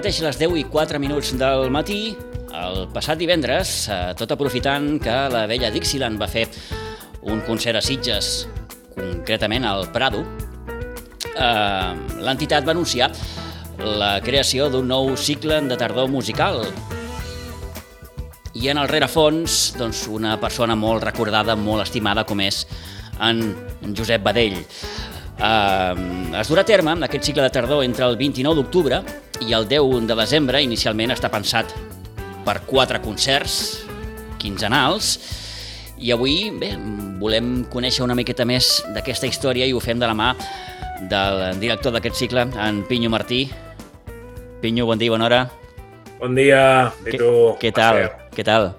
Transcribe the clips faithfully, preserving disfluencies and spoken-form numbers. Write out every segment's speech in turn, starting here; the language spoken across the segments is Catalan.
mateix les deu i quatre minuts del matí, el passat divendres, tot aprofitant que la vella Dixieland va fer un concert a Sitges, concretament al Prado, eh, l'entitat va anunciar la creació d'un nou cicle de tardor musical. I en el rerefons, doncs, una persona molt recordada, molt estimada, com és en Josep Badell. Uh, es durà a terme aquest cicle de tardor entre el vint-i-nou d'octubre i el deu de desembre. Inicialment està pensat per quatre concerts quinzenals i avui bé, volem conèixer una miqueta més d'aquesta història i ho fem de la mà del director d'aquest cicle, en Pinyo Martí. Pinyo, bon dia, bona hora. Bon dia, i tu? Què tal? Què tal?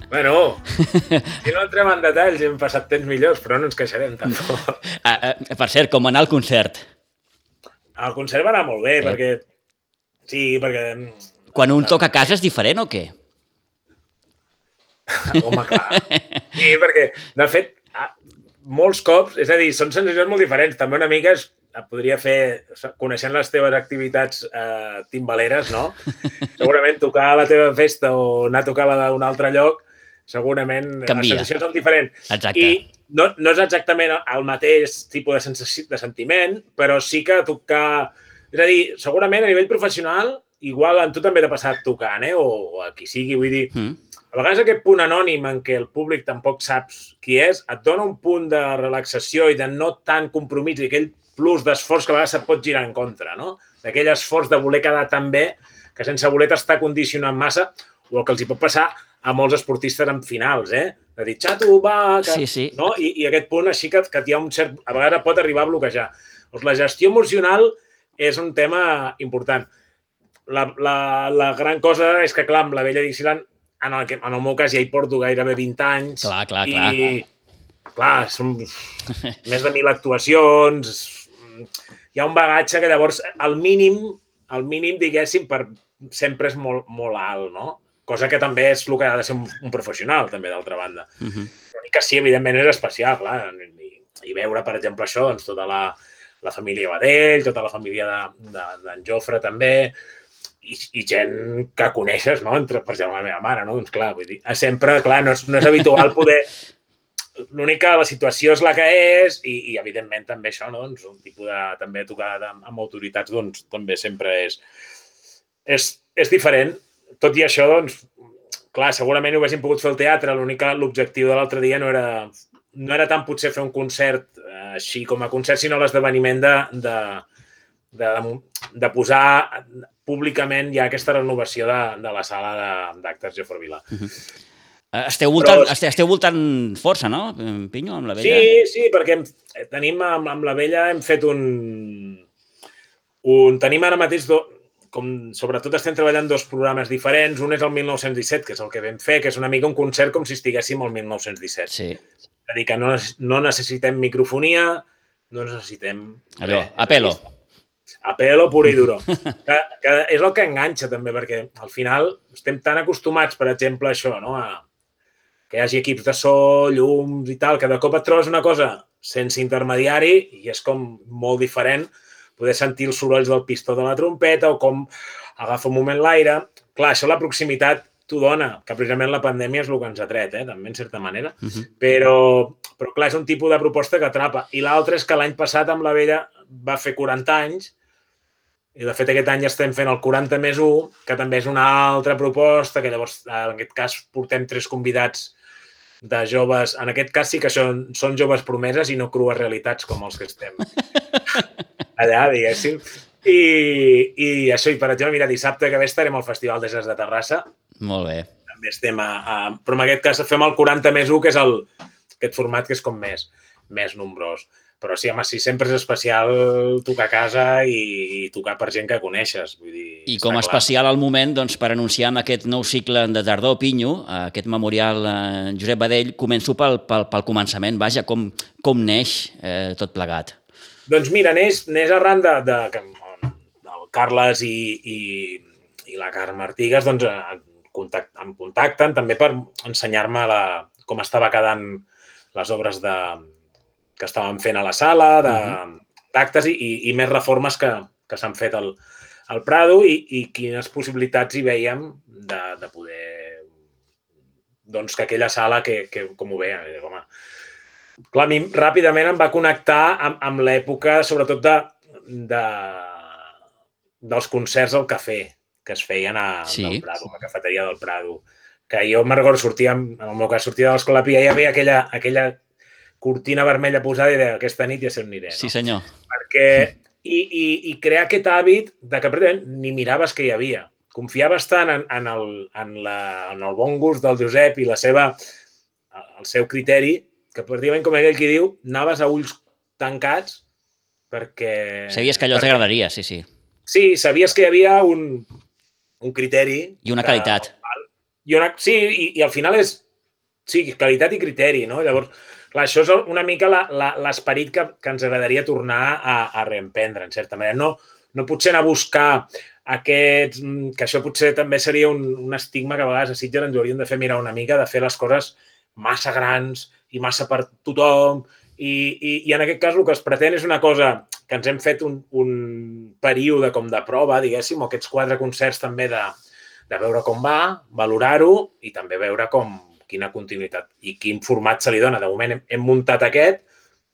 Bueno, si no entrem en detalls, hem passat temps millors, però no ens queixarem tampoc. Ah, ah, per cert, com anar al concert? El concert va anar molt bé, eh? perquè... Sí, perquè... Quan un toca a casa és diferent o què? Home, clar. Sí, perquè, de fet, molts cops, és a dir, són sensacions molt diferents. També una mica es podria fer, coneixent les teves activitats eh, timbaleres, no? Segurament tocar a la teva festa o anar a tocar a un altre lloc, segurament canvia. Les sensacions són diferents. Exacte. I no, no és exactament el mateix tipus de, sensació, de sentiment, però sí que tocar... És a dir, segurament a nivell professional, igual a tu també t'ha passat tocant, eh? o, o a qui sigui, vull dir... Mm. A vegades aquest punt anònim en què el públic tampoc saps qui és, et dona un punt de relaxació i de no tant compromís i aquell plus d'esforç que a vegades se't pot girar en contra, no? D'aquell esforç de voler quedar tan bé que sense voler t'està condicionant massa, o el que els hi pot passar a molts esportistes en finals, eh? De dir, xato, va... Que... Sí, sí. No? I, I aquest punt així que, que hi ha un cert... A vegades pot arribar a bloquejar. Doncs la gestió emocional és un tema important. La, la, la gran cosa és que, clar, amb la vella Dixieland, en el, en el meu cas ja hi porto gairebé vint anys. Clar, clar, clar. I, clar, són més de mil actuacions. Hi ha un bagatge que llavors, al mínim, al mínim, diguéssim, per sempre és molt, molt alt, no? Cosa que també és el que ha de ser un, un professional, també, d'altra banda. Uh -huh. Però que sí, evidentment, és especial, clar. I, i veure, per exemple, això, doncs, tota la, la família Badell, tota la família d'en de, de, Jofre, també, i, i gent que coneixes, no? Entre, per exemple, la meva mare, no? Doncs, clar, vull dir, sempre, clar, no és, no és habitual poder... L'únic que la situació és la que és i, i evidentment, també això, no? Doncs un tipus de... També tocar amb autoritats, doncs, també sempre és... És, és diferent. Tot i això, doncs, clar, segurament ho haguéssim pogut fer al teatre, l'únic que l'objectiu de l'altre dia no era, no era tant potser fer un concert eh, així com a concert, sinó l'esdeveniment de, de, de, de posar públicament ja aquesta renovació de, de la sala d'actes Jofre Vila. Uh-huh. Esteu voltant, Però, esteu voltant força, no, Pinyo, amb la vella? Sí, sí, perquè tenim, amb, amb la vella hem fet un... un tenim ara mateix... Do, com sobretot estem treballant dos programes diferents. Un és el mil nou-cents disset, que és el que vam fer, que és una mica un concert com si estiguéssim al mil nou-cents disset. Sí. És a dir, que no, no necessitem microfonia, no necessitem... Allò, a pelo. A pelo puro i duro. Que, que és el que enganxa, també, perquè al final estem tan acostumats, per exemple, a això, no? A que hi hagi equips de so, llums i tal, que de cop et trobes una cosa sense intermediari i és com molt diferent poder sentir els sorolls del pistó de la trompeta o com agafa un moment l'aire. Clar, això la proximitat t'ho dona, que precisament la pandèmia és el que ens ha tret, eh? També, en certa manera. Uh-huh. Però, però, clar, és un tipus de proposta que atrapa. I l'altre és que l'any passat amb la vella va fer quaranta anys i, de fet, aquest any estem fent el quaranta més u, que també és una altra proposta, que llavors, en aquest cas, portem tres convidats de joves. En aquest cas sí que són, són joves promeses i no crues realitats com els que estem allà, diguéssim. I, i això, i per exemple, mira, dissabte que ve estarem al Festival de Jazz de Terrassa. Molt bé. També estem a, a... Però en aquest cas fem el quaranta més u, que és el, aquest format que és com més, més nombrós. Però sí, home, sí, sempre és especial tocar a casa i, i tocar per gent que coneixes. Vull dir, I com a especial al moment, doncs, per anunciar aquest nou cicle de tardor, Pinyo, aquest memorial eh, Josep Badell, començo pel, pel, pel començament. Vaja, com, com neix eh, tot plegat? Doncs mira, neix, neix arran de, de, de, el Carles i, i, i la Carme Artigas doncs, contact, em contacten també per ensenyar-me la, com estava quedant les obres de, que estàvem fent a la sala, d'actes i, i, i més reformes que, que s'han fet al, al Prado i, i quines possibilitats hi veiem de, de poder... Doncs que aquella sala, que, que com ho veia, home... Clar, a mi ràpidament em va connectar amb, amb l'època, sobretot, de, de, dels concerts al cafè que es feien a, Sí. del Prado, a la cafeteria del Prado. Que jo me'n recordo, sortia, en el meu cas, sortia de l'Escola Pia i hi havia aquella, aquella cortina vermella posada i deia, aquesta nit ja se'n aniré. No? Sí, senyor. Perquè, i, i, i crear aquest hàbit de que pràcticament ni miraves què hi havia. Confiaves tant en, en, el, en, la, en el bon gust del Josep i la seva, el seu criteri, que pràcticament, com aquell qui diu, anaves a ulls tancats perquè... Sabies que allò perquè... t'agradaria, sí, sí. Sí, sabies que hi havia un, un criteri... I una qualitat. Que, i una, sí, i, i al final és sí, qualitat i criteri, no? Llavors, clar, això és una mica l'esperit que, que ens agradaria tornar a, a reemprendre, en certa manera. No, no potser anar a buscar aquests... que això potser també seria un, un estigma que a vegades a Sitges ens hauríem de fer mirar una mica, de fer les coses massa grans i massa per tothom. I, i, i en aquest cas el que es pretén és una cosa que ens hem fet un, un període com de prova, diguéssim, o aquests quatre concerts també de de veure com va, valorar-ho i també veure com, quina continuïtat i quin format se li dona. De moment hem, hem muntat aquest,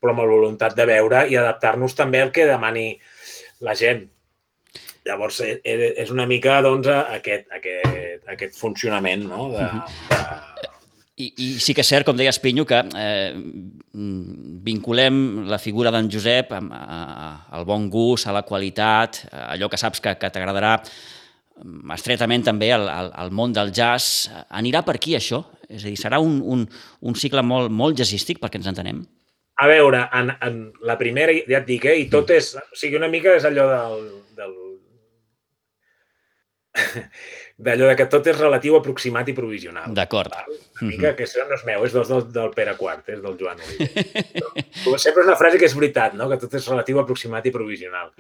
però amb la voluntat de veure i adaptar-nos també al que demani la gent. Llavors, és una mica doncs, aquest, aquest, aquest funcionament, no? De, de... I, I sí que és cert, com deies, Pinyo, que eh, vinculem la figura d'en Josep amb, a, a, al bon gust, a la qualitat, a allò que saps que, que t'agradarà, estretament també al, al, al món del jazz. Anirà per aquí, això? És a dir, serà un, un, un cicle molt, molt jazzístic, perquè ens entenem? A veure, en, en la primera, ja et dic, eh, i tot és... O sigui, una mica és allò del... del d'allò de que tot és relatiu, aproximat i provisional. D'acord. Una mica, que això no és meu, és del, del, del Pere Quart, és del Joan Oliver. Però sempre és una frase que és veritat, no? Que tot és relatiu, aproximat i provisional.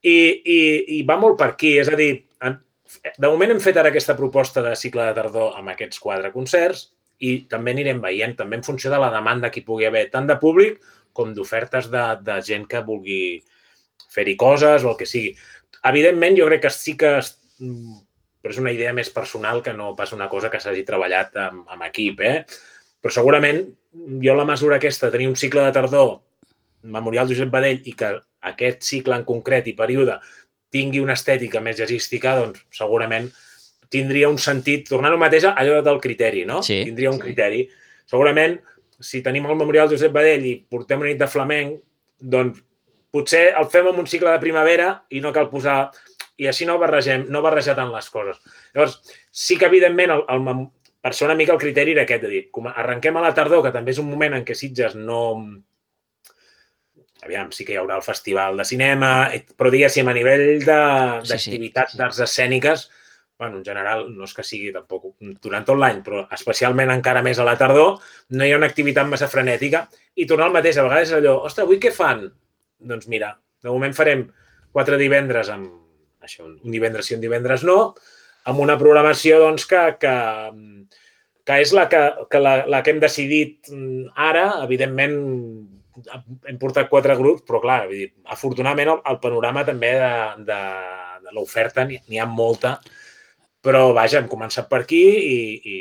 I, i, i va molt per aquí, és a dir, de moment hem fet ara aquesta proposta de cicle de tardor amb aquests quatre concerts i també anirem veient, també en funció de la demanda que hi pugui haver, tant de públic com d'ofertes de, de gent que vulgui fer-hi coses o el que sigui. Evidentment, jo crec que sí que però és una idea més personal que no pas una cosa que s'hagi treballat amb, amb equip, eh? Però segurament jo la mesura aquesta, tenir un cicle de tardor Memorial Josep Badell i que aquest cicle en concret i període tingui una estètica més jazzística, doncs segurament tindria un sentit, tornant al mateix a allò del criteri, no? Sí. Tindria un criteri. Segurament, si tenim el Memorial Josep Badell i portem una nit de flamenc, doncs potser el fem en un cicle de primavera i no cal posar... I així no barregem, no barrejar tant les coses. Llavors, sí que evidentment, el, el, per ser una mica el criteri era aquest, de dir, com arrenquem a la tardor, que també és un moment en què Sitges no... Aviam, sí que hi haurà el festival de cinema, però diguéssim, a nivell d'activitats sí, sí. d'arts escèniques, bueno, en general, no és que sigui tampoc durant tot l'any, però especialment encara més a la tardor, no hi ha una activitat massa frenètica i tornar al mateix. A vegades és allò, ostres, avui què fan? Doncs mira, de moment farem quatre divendres amb això, un divendres sí, un divendres no, amb una programació doncs, que, que, que és la que, que, la, la que hem decidit ara. Evidentment, hem portat quatre grups, però clar, vull dir, afortunadament el, el panorama també de, de, de l'oferta n'hi ha molta, però vaja, hem començat per aquí i, i,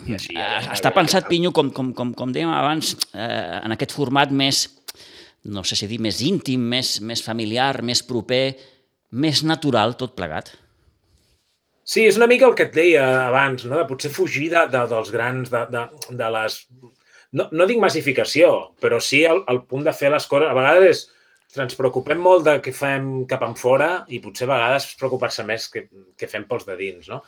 i així. Ja, Està pensat, Pinyo, com, com, com, com dèiem abans, eh, en aquest format més, no sé si dir, més íntim, més, més familiar, més proper, més natural, tot plegat. Sí, és una mica el que et deia abans, no? De potser fugir de, de, dels grans, de, de, de les... No, no dic massificació, però sí el, el punt de fer les coses. A vegades ens preocupem molt de què fem cap enfora i potser a vegades preocupar-se més que, que fem pels de dins, no?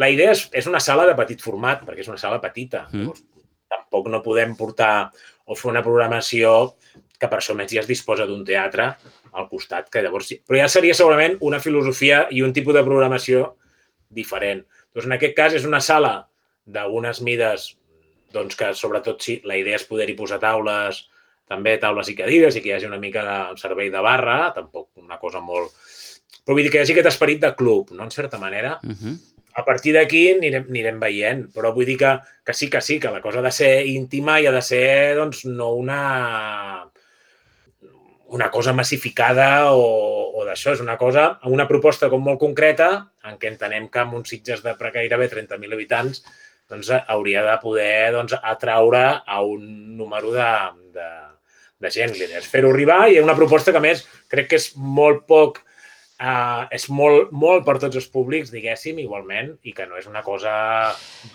La idea és, és una sala de petit format, perquè és una sala petita. Mm. Llavors, tampoc no podem portar o fer una programació que per això més ja es disposa d'un teatre al costat, que llavors... Però ja seria segurament una filosofia i un tipus de programació diferent. Doncs en aquest cas és una sala d'unes mides doncs que sobretot sí, la idea és poder-hi posar taules, també taules i cadires i que hi hagi una mica de servei de barra, tampoc una cosa molt... Però vull dir que hi hagi aquest esperit de club, no? En certa manera. Uh-huh. A partir d'aquí anirem, anirem veient, però vull dir que, que sí, que sí, que la cosa ha de ser íntima i ha de ser doncs, no una... una cosa massificada o, o d'això. És una cosa, una proposta com molt concreta, en què entenem que amb uns Sitges de gairebé trenta mil habitants doncs, hauria de poder doncs, atraure a un número de, de, de gent. L'idea és fer-ho arribar i una proposta que, a més, crec que és molt poc, eh, és molt, molt per tots els públics, diguéssim, igualment, i que no és una cosa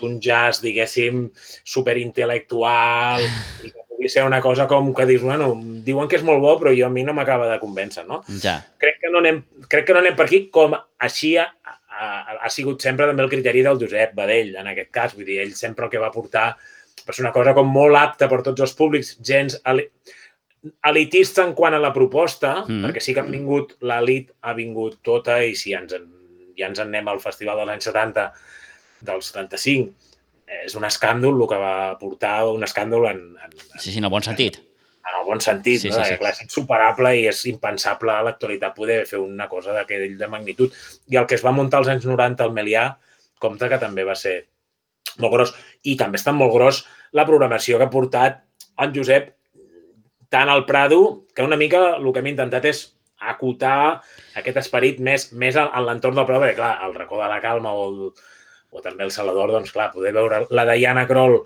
d'un jazz, diguéssim, superintel·lectual, i que pugui ser una cosa com que dius, bueno, diuen que és molt bo, però jo a mi no m'acaba de convèncer, no? Ja. Crec que no anem, crec que no anem per aquí, com així ha, ha, ha sigut sempre també el criteri del Josep Badell, en aquest cas. Vull dir, ell sempre el que va portar va ser una cosa com molt apta per tots els públics, gens elitista en quant a la proposta, mm. perquè sí que han vingut, l'elit ha vingut tota, i si ja ens, en, ja ens en anem al festival dels anys setanta, del setanta-cinc, és un escàndol el que va portar, un escàndol en... en sí, sí, en el bon sentit. En, en el bon sentit, sí, no? Sí, sí. Clar, és insuperable i és impensable a l'actualitat poder fer una cosa d'aquell de magnitud. I el que es va muntar als anys noranta al Melià, compte que també va ser molt gros. I també està molt gros la programació que ha portat en Josep tant al Prado, que una mica el que hem intentat és acotar aquest esperit més, més en l'entorn del Prado, perquè, clar, el Racó de la Calma o, el, o també el Salador, doncs, clar, poder veure la Diana Kroll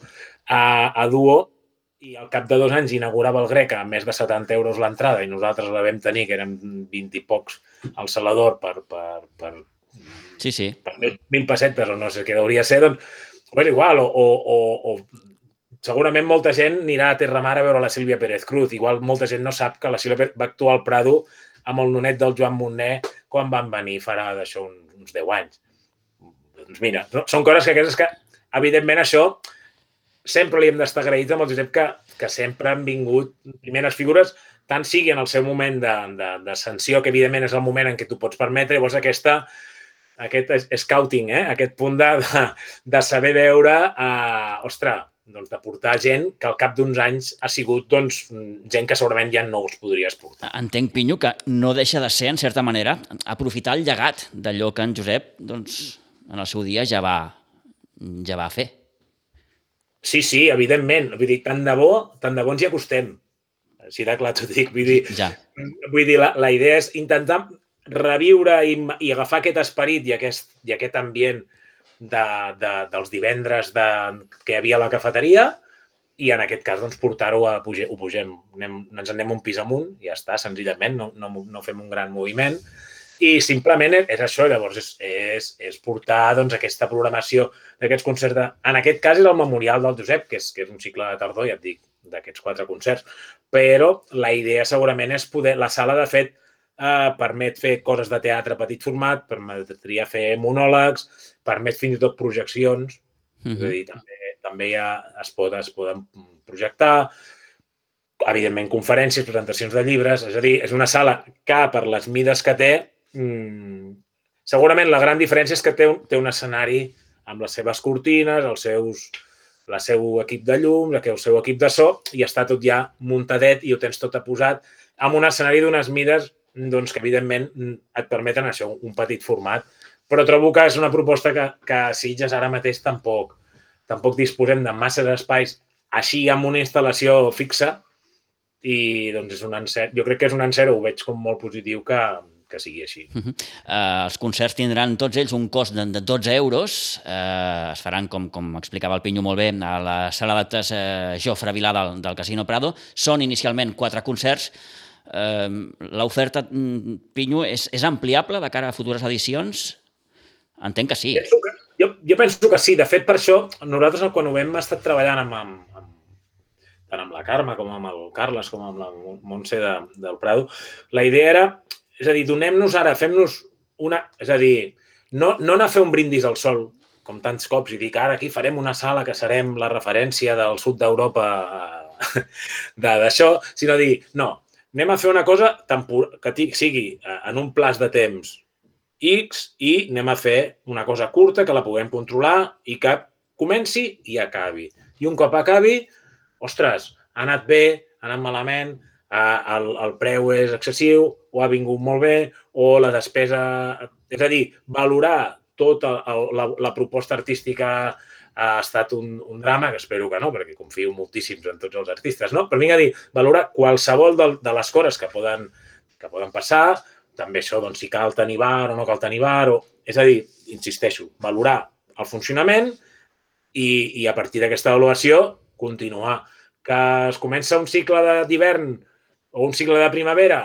a, a duo i al cap de dos anys inaugurava el Grec a més de setanta euros l'entrada i nosaltres la vam tenir, que eren vint i pocs al Salador per, per, per, sí, sí. per mil pessetes o no sé què hauria de ser, doncs, és igual, o, o, o segurament molta gent anirà a Terramar a veure la Sílvia Pérez Cruz. Igual molta gent no sap que la Sílvia Pérez va actuar al Prado amb el nonet del Joan Montner quan van venir farà d'això uns, uns deu anys. Doncs mira, són coses que aquestes que, evidentment, això sempre li hem d'estar agraïts amb el Josep que, que sempre han vingut primeres figures, tant sigui en el seu moment d'ascensió, que evidentment és el moment en què tu pots permetre, llavors aquesta, aquest scouting, eh? Aquest punt de, de, de saber veure, eh, ostres, doncs, de portar gent que al cap d'uns anys ha sigut doncs, gent que segurament ja no us podries portar. Entenc, Pinyo, que no deixa de ser, en certa manera, aprofitar el llegat d'allò que en Josep doncs, en el seu dia ja va, ja va fer. Sí, sí, evidentment. Vull dir, tant de bo, tant de bo ens hi acostem. Així de clar t'ho dic. Vull dir, ja. vull dir la, la idea és intentar reviure i, i agafar aquest esperit i aquest, i aquest ambient De, de, dels divendres de, que hi havia a la cafeteria i en aquest cas doncs, portar-ho a pujar, ho pugem, anem, ens anem un pis amunt i ja està, senzillament, no, no, no fem un gran moviment i simplement és, és això, llavors és, és, és portar doncs, aquesta programació d'aquests concerts, de, en aquest cas és el Memorial del Josep, que és, que és un cicle de tardor, ja et dic, d'aquests quatre concerts, però la idea segurament és poder, la sala de fet eh, permet fer coses de teatre a petit format, permetria fer monòlegs, permet fins i tot projeccions, uh-huh. És a dir, també, també ja es, pot, es poden projectar, evidentment conferències, presentacions de llibres, és a dir, és una sala que per les mides que té, mmm, segurament la gran diferència és que té un, té un escenari amb les seves cortines, els seus, el seu equip de llums, el seu equip de so, i està tot ja muntadet i ho tens tot aposat amb un escenari d'unes mides doncs, que evidentment et permeten això, un petit format. Però trobo que és una proposta que, que a Sitges ara mateix tampoc, tampoc disposem de massa d'espais així amb una instal·lació fixa i doncs és un encert. Jo crec que és un encert, ho veig com molt positiu que, que sigui així. Uh-huh. uh, els concerts tindran tots ells un cost de, de dotze euros. Uh, es faran, com, com explicava el Pinyo molt bé, a la sala d'actes uh, Jofre Vilà del, del Casino Prado. Són inicialment quatre concerts. Uh, l'oferta, Pinyo, és, és ampliable de cara a futures edicions? Entenc que sí. Penso que, jo, jo penso que sí. De fet, per això, nosaltres quan ho hem estat treballant amb, amb, amb, tant amb la Carme com amb el Carles, com amb la Montse de, del Prado, la idea era, és a dir, donem-nos ara, fem-nos una... És a dir, no, no anar a fer un brindis al sol, com tants cops, i dir que ara aquí farem una sala que serem la referència del sud d'Europa d'això, sinó dir, no, anem a fer una cosa tempor... que sigui en un plaç de temps X i anem a fer una cosa curta que la puguem controlar i que comenci i acabi. I un cop acabi, ostres, ha anat bé, ha anat malament, el, el preu és excessiu o ha vingut molt bé o la despesa... És a dir, valorar tota la, la proposta artística ha estat un, un drama, que espero que no, perquè confio moltíssims en tots els artistes, no? Però vinc a dir, valorar qualsevol de, de les coses que poden, que poden passar, també això, doncs, si cal tenir bar o no cal tenir bar, o... és a dir, insisteixo, valorar el funcionament i, i a partir d'aquesta avaluació continuar. Que es comença un cicle d'hivern o un cicle de primavera,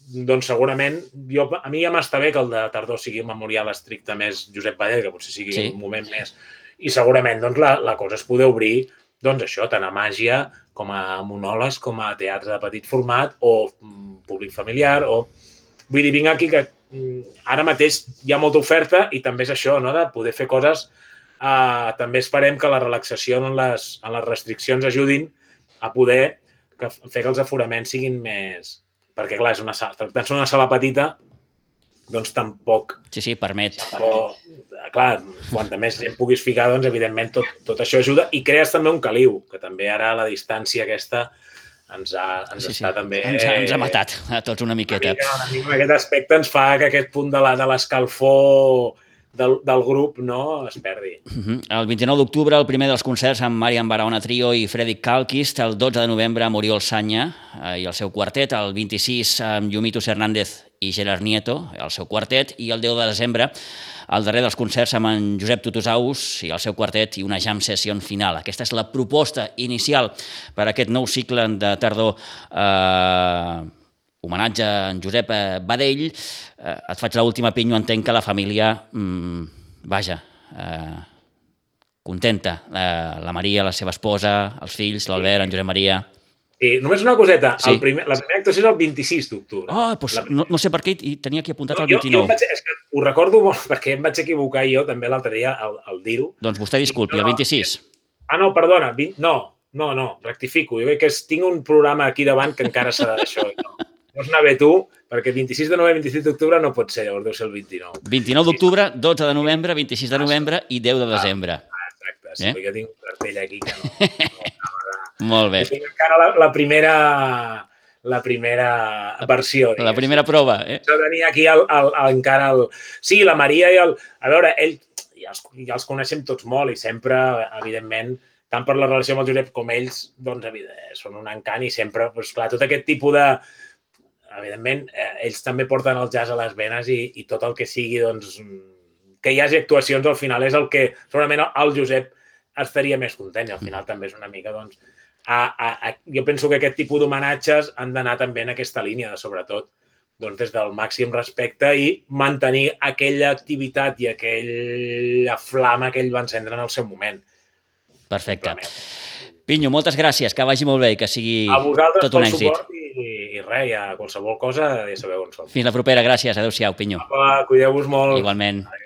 doncs segurament, jo, a mi ja m'està bé que el de tardor sigui un memorial estricte més Josep Badell, que potser sigui sí. un moment més. I segurament doncs, la, la cosa es poder obrir, doncs això, tant a màgia com a monòlegs, com a teatre de petit format o públic familiar. O... Vull dir, vinc aquí que ara mateix hi ha molta oferta i també és això, no?, de poder fer coses. Uh, també esperem que la relaxació en les, en les restriccions ajudin a poder que, fer que els aforaments siguin més... Perquè, clar, és una sala, tractant-se una sala petita, doncs tampoc... Sí, sí, permet. Tampoc, clar, quanta més gent puguis ficar, doncs, evidentment, tot, tot això ajuda. I crees també un caliu, que també ara la distància aquesta ens, ha, ens sí, està sí. també... Ens ha, ens ha matat a tots una miqueta. Una mica, una mica, aquest aspecte ens fa que aquest punt de l'escalfor del, del grup no es perdi. Uh-huh. El vint-i-nou d'octubre, el primer dels concerts amb Marian Barahona Trio i Fredrik Kalkist. El dotze de novembre, Muriel Sanya eh, i el seu quartet. El vint-i-sis, amb Yumitus Hernández i Gerard Nieto, el seu quartet. I el deu de desembre, el darrer dels concerts amb en Josep Tutusaus i el seu quartet i una jam session final. Aquesta és la proposta inicial per a aquest nou cicle de tardor eh, homenatge a en Josep Badell. Eh, et faig l'última pinyo, entenc que la família, mmm, vaja, eh, contenta. Eh, la Maria, la seva esposa, els fills, l'Albert, en Josep Maria... Sí, només una coseta. Sí. El primer, la primera actuació és el vint-i-sis d'octubre. Ah, doncs la... no, no sé per què i tenia aquí apuntat no, el vint-i-nou. Jo, jo vaig, és que ho recordo molt perquè em vaig equivocar jo també l'altre dia al, al dir-ho. Doncs vostè disculpi, el vint-i-sis. Ah, no, perdona, vint... no, no, no, rectifico. Jo crec que tinc un programa aquí davant que encara serà d'això. No. No és anar bé tu, perquè vint-i-sis de novembre i vint-i-sis d'octubre no pot ser, llavors deu ser el vint-i-nou. vint-i-nou d'octubre, dotze de novembre, vint-i-sis de novembre i deu de desembre. Ah, exacte, sí, eh? Jo tinc un cartell aquí que no... no Molt bé. Jo tinc encara la, la primera... la primera versió. La primera prova, eh? Jo tenia aquí el, el, el, encara el... Sí, la Maria i el... A veure, ell ja els, ja els coneixem tots molt i sempre, evidentment, tant per la relació amb el Josep com ells, doncs, evidentment, són un encant i sempre, doncs, clar, tot aquest tipus de... Evidentment, eh, ells també porten el jazz a les venes i, i tot el que sigui, doncs, que hi hagi actuacions al final és el que segurament el Josep estaria més content i al final també és una mica, doncs, a, a, a, jo penso que aquest tipus d'homenatges han d'anar també en aquesta línia, de, sobretot, doncs, des del màxim respecte i mantenir aquella activitat i aquella flama que ell va encendre en el seu moment. Perfecte. Pinyo, moltes gràcies, que vagi molt bé i que sigui tot un èxit. I, i res, ja qualsevol cosa ja sabeu on som. Fins la propera, gràcies. Adéu-siau, Pinyo. Apa, cuideu-vos molt. Igualment. Adéu.